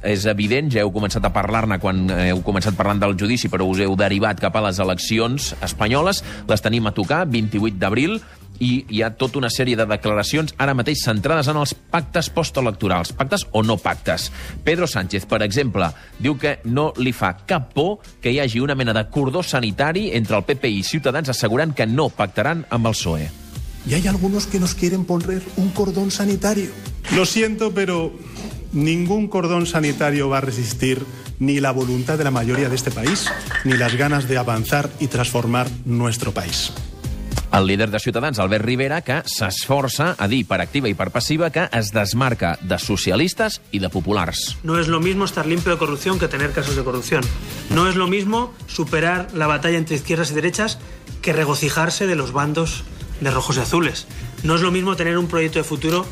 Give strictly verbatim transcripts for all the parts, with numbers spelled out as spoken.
és evident, ja heu començat a parlar-ne quan heu començat parlant del judici, però us heu derivat cap a les eleccions espanyoles. Les tenim a tocar, vint-i-vuit d'abril, i hi ha tota una sèrie de declaracions ara mateix centrades en els pactes postelectorals, pactes o no pactes. Pedro Sánchez, per exemple, diu que no li fa cap por que hi hagi una mena de cordó sanitari entre el P P i Ciutadans, assegurant que no pactaran amb el P S O E. Y hay algunos que nos quieren poner un cordón sanitario. Lo siento, pero ningún cordón sanitario va a resistir ni la voluntad de la mayoría de este país, ni las ganas de avanzar y transformar nuestro país. El líder de Ciutadans, Albert Rivera, que s'esforça a dir per activa i per passiva que es desmarca de socialistes i de populars. No es lo mismo estar limpio de corrupción que tener casos de corrupción. No es lo mismo superar la batalla entre izquierdas y derechas que regocijarse de los bandos de rojos y azules. No es lo mismo tener un proyecto de futuro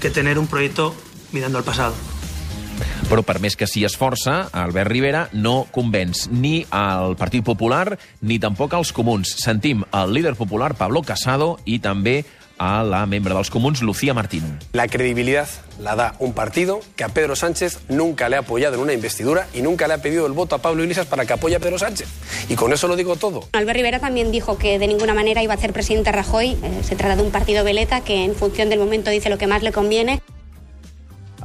que tener un proyecto mirando al pasado. Però per més que s'hi esforça, Albert Rivera no convenç ni al Partit Popular ni tampoc als comuns. Sentim el líder popular, Pablo Casado, i també a la membre dels comuns, Lucía Martín. La credibilidad la da un partido que a Pedro Sánchez nunca le ha apoyado en una investidura y nunca le ha pedido el voto a Pablo Iglesias para que apoye a Pedro Sánchez. Y con eso lo digo todo. Albert Rivera también dijo que de ninguna manera iba a hacer presidente a Rajoy. Eh, se trata de un partido veleta que en función del momento dice lo que más le conviene.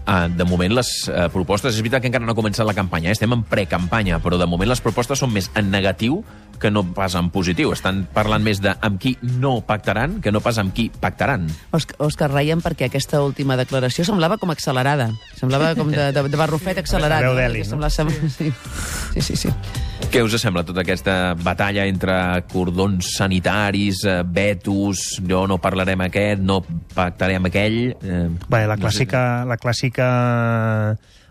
Uh, de moment les uh, propostes, és veritat que encara no ha començat la campanya, eh? Estem en precampanya, però de moment les propostes són més en negatiu que no pas en positiu. Estan parlant més de amb qui no pactaran que no pas amb qui pactaran. Òscar, Òscar, reiem perquè aquesta última declaració semblava com accelerada. Semblava com de, de, de barrufet accelerat. Veu d'Eli, no? Semblava... Sí, sí, sí. sí. Què us sembla tota aquesta batalla entre cordons sanitaris, eh, vetos, jo no parlaré amb aquest, no pactaré amb aquell... Eh, Bé, la no clàssica, sé. la clàssica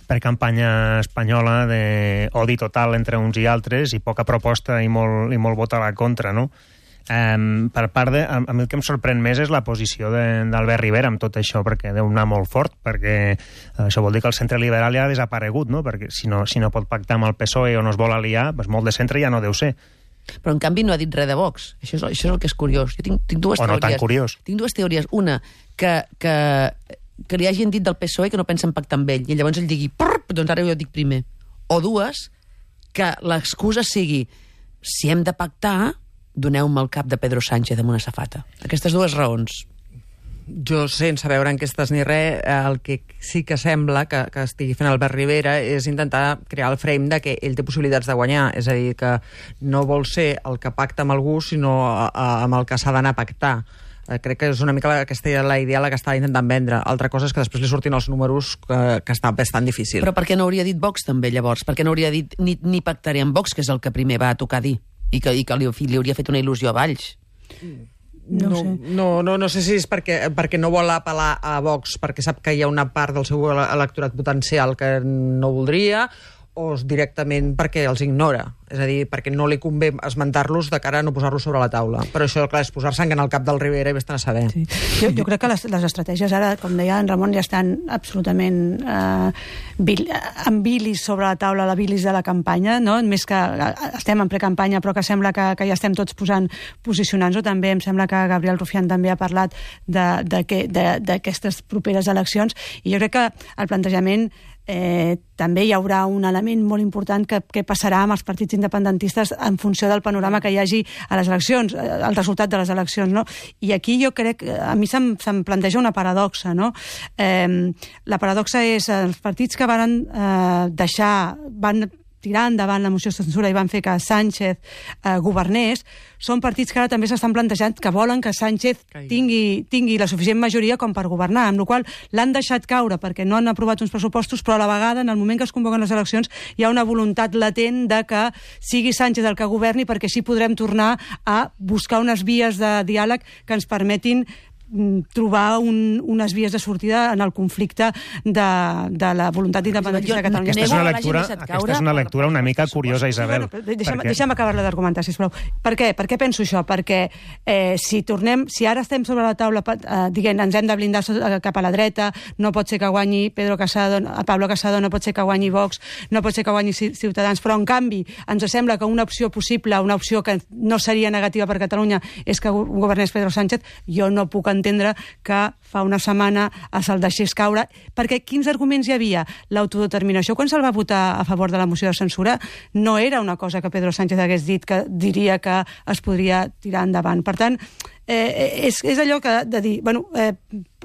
precampanya espanyola d'odi total entre uns i altres i poca proposta i molt, i molt vot a la contra, no? Um, per part de... A, a mi el que em sorprèn més és la posició d'Albert Rivera amb tot això, perquè deu anar molt fort, perquè això vol dir que el centre liberal ja ha desaparegut, no? Perquè si no, si no pot pactar amb el P S O E o no es vol aliar, doncs molt de centre ja no deu ser. Però, en canvi, no ha dit res de Vox. Això és, això és el que és curiós. Jo tinc, tinc dues o no teories. tan curiós. Tinc dues teories. Una, que, que, que li hagin dit del P S O E que no pensen pactar amb ell, i llavors ell digui, doncs ara jo dic primer. O dues, que l'excusa sigui, si hem de pactar, doneu-me el cap de Pedro Sánchez amb una safata. Aquestes dues raons. Jo, sense veure enquestes ni res, el que sí que sembla que, que estigui fent Albert Rivera és intentar crear el frame de que ell té possibilitats de guanyar, és a dir, que no vol ser el que pacta amb algú, sinó a, a, amb el que s'ha d'anar a pactar. Eh, crec que és una mica la, aquesta la idea la que està intentant vendre. Altra cosa és que després li surtin els números que, que està bastant difícil. Però per què no hauria dit Vox també, llavors? Per què no hauria dit ni, ni pactaré amb Vox, que és el que primer va a tocar dir? I que, i que li, li hauria fet una il·lusió a Valls. No, no, no, no, no sé si és perquè, perquè no vol apel·lar a Vox, perquè sap que hi ha una part del seu electorat potencial que no voldria, o directament perquè els ignora. És a dir, perquè no li convé esmentar-los de cara a no posar-los sobre la taula. Però això, clar, és posar sang en el cap del Rivera i vés-te'n a saber. Sí. Jo, jo crec que les, les estratègies ara, com deia en Ramon, ja estan absolutament eh, bil, amb bilis sobre la taula, la bilis de la campanya, no? Més que estem en precampanya, però que sembla que, que ja estem tots posant, posicionant-nos. També em sembla que Gabriel Rufián també ha parlat d'aquestes properes eleccions, i jo crec que el plantejament Eh, també hi haurà un element molt important que, que passarà amb els partits independentistes en funció del panorama que hi hagi a les eleccions, el resultat de les eleccions, no? I aquí jo crec, a mi se'm, se'm planteja una paradoxa, no? Eh, la paradoxa és els partits que van eh, deixar, van tirar endavant la moció de censura i van fer que Sánchez eh, governés, són partits que ara també s'estan plantejant que volen que Sánchez tingui, tingui la suficient majoria com per governar, amb la qual l'han deixat caure perquè no han aprovat uns pressupostos, però a la vegada, en el moment que es convoquen les eleccions, hi ha una voluntat latent de que sigui Sánchez el que governi, perquè així podrem tornar a buscar unes vies de diàleg que ens permetin trobar un, unes vies de sortida en el conflicte de, de la voluntat independentista de Catalunya. Aquesta és una lectura, aquesta és una lectura una mica curiosa, Isabel. Bueno, deixa'm, perquè... deixa'm acabar-la d'argumentar, sisplau. Per què? Per què penso això? Perquè eh, si tornem, si ara estem sobre la taula eh, dient ens hem de blindar cap a la dreta, no pot ser que guanyi Pedro Casado, Pablo Casado, no pot ser que guanyi Vox, no pot ser que guanyi Ciutadans, però en canvi ens sembla que una opció possible, una opció que no seria negativa per Catalunya és que governés Pedro Sánchez, jo no puc entendre entendre que fa una setmana se'l deixés caure, perquè quins arguments hi havia? L'autodeterminació, quan se'l va votar a favor de la moció de censura, no era una cosa que Pedro Sánchez hagués dit que diria que es podria tirar endavant. Per tant, eh, és, és allò que de dir, bueno, eh,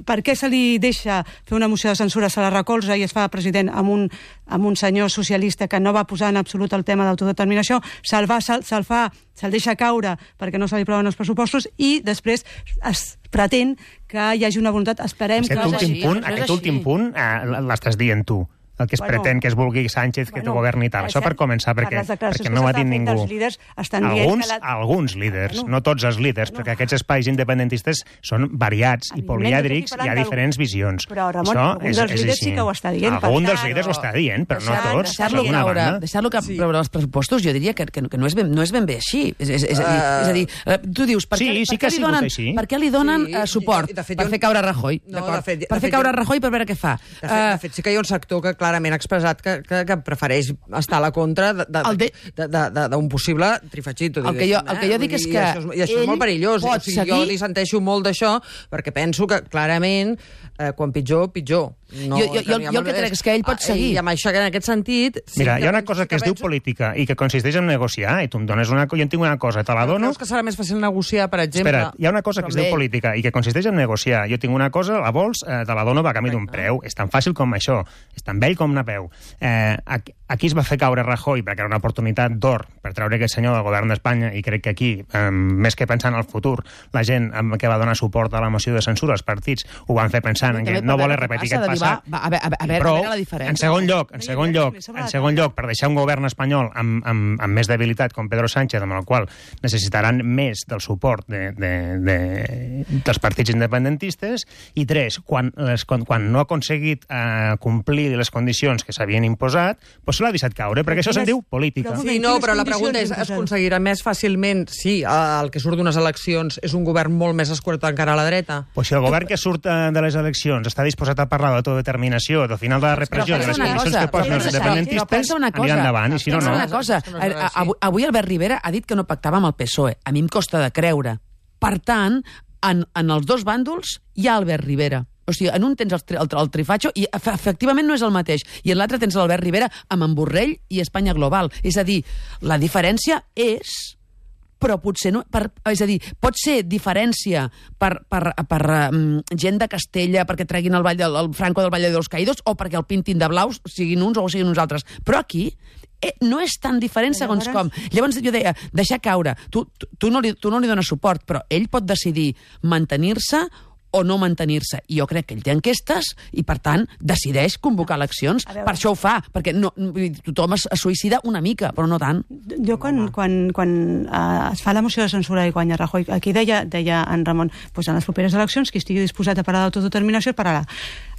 per què se li deixa fer una moció de censura, se la recolza i es fa president amb un, amb un senyor socialista que no va posar en absolut el tema d'autodeterminació, se'l va, se'l, se'l fa, se'l deixa caure perquè no se li aproven els pressupostos i després es pretén que hi hagi una voluntat, esperem aquest que... Últim així, punt, no és aquest així. últim punt eh, l'estàs dient tu. El que es Bueno, pretén que es vulgui Sánchez, que bueno, tu governi i tal. és Això per cert, començar, per perquè, les declaracions perquè no ho que ha dit s'estan fent ningú. dels líders estan dient Alguns, que la- alguns líders, Bueno. no tots els líders, perquè aquests espais independentistes són variats i Evidentment, polièdrics, jo hi estic ha parlant diferents visions. Però, Ramon, Això algun és, dels és líders així. sí que ho està dient, per Algun dels tant, líders ho està dient, però no deixar- tots. Deixar-lo d'alguna caure, banda. deixar-lo que Sí. sí. els pressupostos, jo diria que, que, que no, és ben, no és ben bé així. És, és, és, és, a dir, és a dir, eh, tu dius, per Sí, què, sí per que què ha li sigut donen, així. per què li donen Sí, eh, suport? i de fet Per jo- fer caure Rajoy, No, d'acord? de fet- de Per fer fet caure jo- Rajoy per veure què fa. De fet, de Eh, fet, sí que hi ha un sector que clarament ha expressat que, que, que prefereix estar a la contra d'un El de- de, de, de, d'un possible trifachito. El que jo- el que jo dic és I que això és, i això és ell molt perillós. pot O sigui, seguir- Jo li senteixo molt d'això perquè penso que clarament eh, quan pitjor, pitjor. No, Jo- jo- jo- jo el que crec és que ell pot seguir. I amb això, en aquest sentit... Sí Mira, que hi ha una penso- cosa que es penso- diu política i que consisteix en negociar, i tu em dones una... Jo en tinc una cosa, te la dono... Creus que serà més fàcil negociar, per exemple... Espera't, hi ha una cosa que es diu Però bé. política i que consisteix en negociar. Jo tinc una cosa, la vols, eh, te la dono a canvi d'un preu. És tan fàcil com això. És tan vell com Napeu. Eh, aquí, aquí es va fer caure Rajoy perquè era una oportunitat d'or per treure aquest senyor del govern d'Espanya i crec que aquí, eh, més que pensant en el futur, la gent eh, que va donar suport a la moció de censura, els partits, ho van fer pensant en que També no per voler veure què repetir passa, aquest de dir, passat. va, va, a veure, a veure, Però, a veure la diferència. en segon lloc, en No hi segon havia lloc, més sobre en la segon taula. lloc, per deixar un govern espanyol amb, amb, amb més debilitat com Pedro Sánchez, amb el qual necessitaran més del suport de, de, de, dels partits independentistes, i tres, quan, les, quan, quan no ha aconseguit eh, complir les condicions que s'havien imposat, doncs se l'ha deixat caure, perquè això se'n diu política. Però- Sí, no, Quines però la condicions pregunta és, es imposen? aconseguirà més fàcilment si el que surt d'unes eleccions és un govern molt més escurat encara a la dreta? Pues si el govern que surt eh, de les eleccions està disposat a parlar d'autodeterminació, del final de la repressió, de les pensa una condicions cosa, que posen però els pensa- independentistes, però pensa una cosa, anirà endavant, i si no, pensa no. una cosa. Això no és A- així. Avui, avui Albert Rivera ha dit que no pactava amb el P S O E. A mi em costa de creure. Per tant, en, en els dos bàndols hi ha Albert Rivera. O sigui, en un tens el, tri- el, el trifatxo i efe- efectivament no és el mateix. I en l'altre tens l'Albert Rivera amb en Borrell i Espanya Global. És a dir, la diferència és... però potser no... Per, és a dir, pot ser diferència per, per, per um, gent de Castella perquè treguin el, ball, el, el Franco del Valle de los Caídos o perquè el pintin de blaus, siguin uns o siguin uns altres. Però aquí eh, no és tan diferent segons com. Llavors jo deia, deixar caure. Tu, tu, tu, no li, tu no li dones suport, però ell pot decidir mantenir-se o no mantenir-se. I jo crec que ell té enquestes i, per tant, decideix convocar eleccions. veure. Per això ho fa, perquè no, vull dir, tothom es, es suïcida una mica, però no tant. Jo quan, quan, quan uh, es fa la moció de censura i guanya Rajoy, aquí deia, deia en Ramon, pues en les properes eleccions qui estigui disposat a parlar d'autodeterminació parlarà.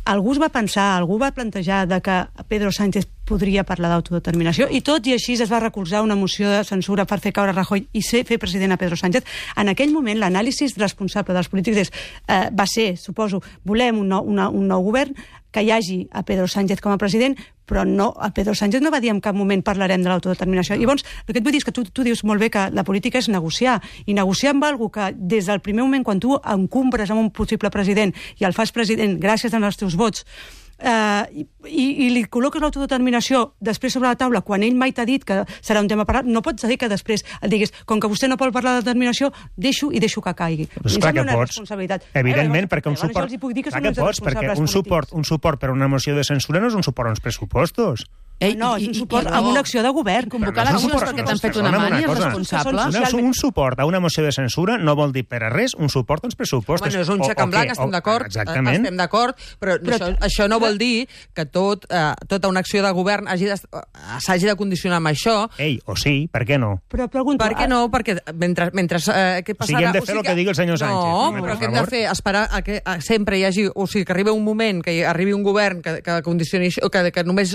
Algú es va pensar, algú va plantejar de que Pedro Sánchez podria parlar d'autodeterminació i tot i així es va recolzar una moció de censura per fer caure Rajoy i ser, fer president a Pedro Sánchez. En aquell moment l'anàlisi responsable dels polítics és, eh, va ser, suposo, volem un nou, una, un nou govern, que hi hagi a Pedro Sánchez com a president, però no, a Pedro Sánchez no va dir en cap moment parlarem de l'autodeterminació. Llavors, el que et vull dir és que tu, tu dius molt bé que la política és negociar, i negociar amb algú que des del primer moment, quan tu encumbres amb un possible president i el fas president gràcies als teus vots, eh, i, i li col·loques l'autodeterminació després sobre la taula, quan ell mai t'ha dit que serà un tema a parlar, no pots dir que després et diguis, com que vostè no vol parlar de determinació, deixo i deixo que caigui. Pues Em clar sembla que una pots. responsabilitat. Evidentment, Eh, perquè un llavors jo suport... els hi puc dir que Clar són que uns pots, perquè responsables un polítics. suport, un suport per una moció de censura no és un suport a uns pressupostos. Ei, No, és un suport amb una acció de govern. Convocar Però no és un eleccions suport- perquè no, t'han fet una perdona'm una mania és cosa. responsable. Són Una, socialment- un suport a una moció de censura no vol dir per a res un suport als pressupostos. Home, no és un O- xec o en blanc, què? estem O- d'acord, Exactament. estem d'acord, però, però això, això no vol dir que tot, eh, tota una acció de govern hagi de- s'hagi de condicionar amb això. Ei, o sí, per què no? Però pregunto... Per què no? Perquè mentre... mentre eh, què O sigui, passarà? hem de fer el que digui el senyor Sánchez. No, Home, però per què hem de favor. fer? Esperar a que a, sempre hi hagi... O sigui, que arribi un moment, que hi arribi un govern que, que condicioni això, que, que només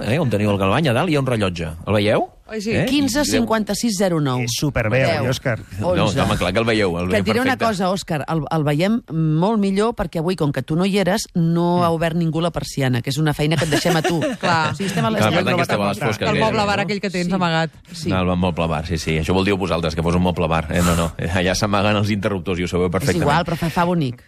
eh, on teniu el Galvany, a dalt hi ha un rellotge. El veieu? sí. Eh? quinze cinquanta-sis zero nou. És superbé, Deu. oi, Òscar? No, home, clar que el veieu. El Que et veiem diré una perfecte. cosa, Òscar, el, el veiem molt millor perquè avui, com que tu no hi eres, no ha obert ningú la persiana, que és una feina que et deixem a tu. Clar. O sigui, estem a les Clar, deu. per tant, que esteu a les fosques. El moble gairebé, bar no? aquell que tens Sí. amagat. Sí. No, el moble bar, sí, sí. Això vol dir vosaltres, que fos un moble bar. Eh, no, no. Allà s'amaguen els interruptors i ho sabeu És perfectament. igual, però fa, fa bonic.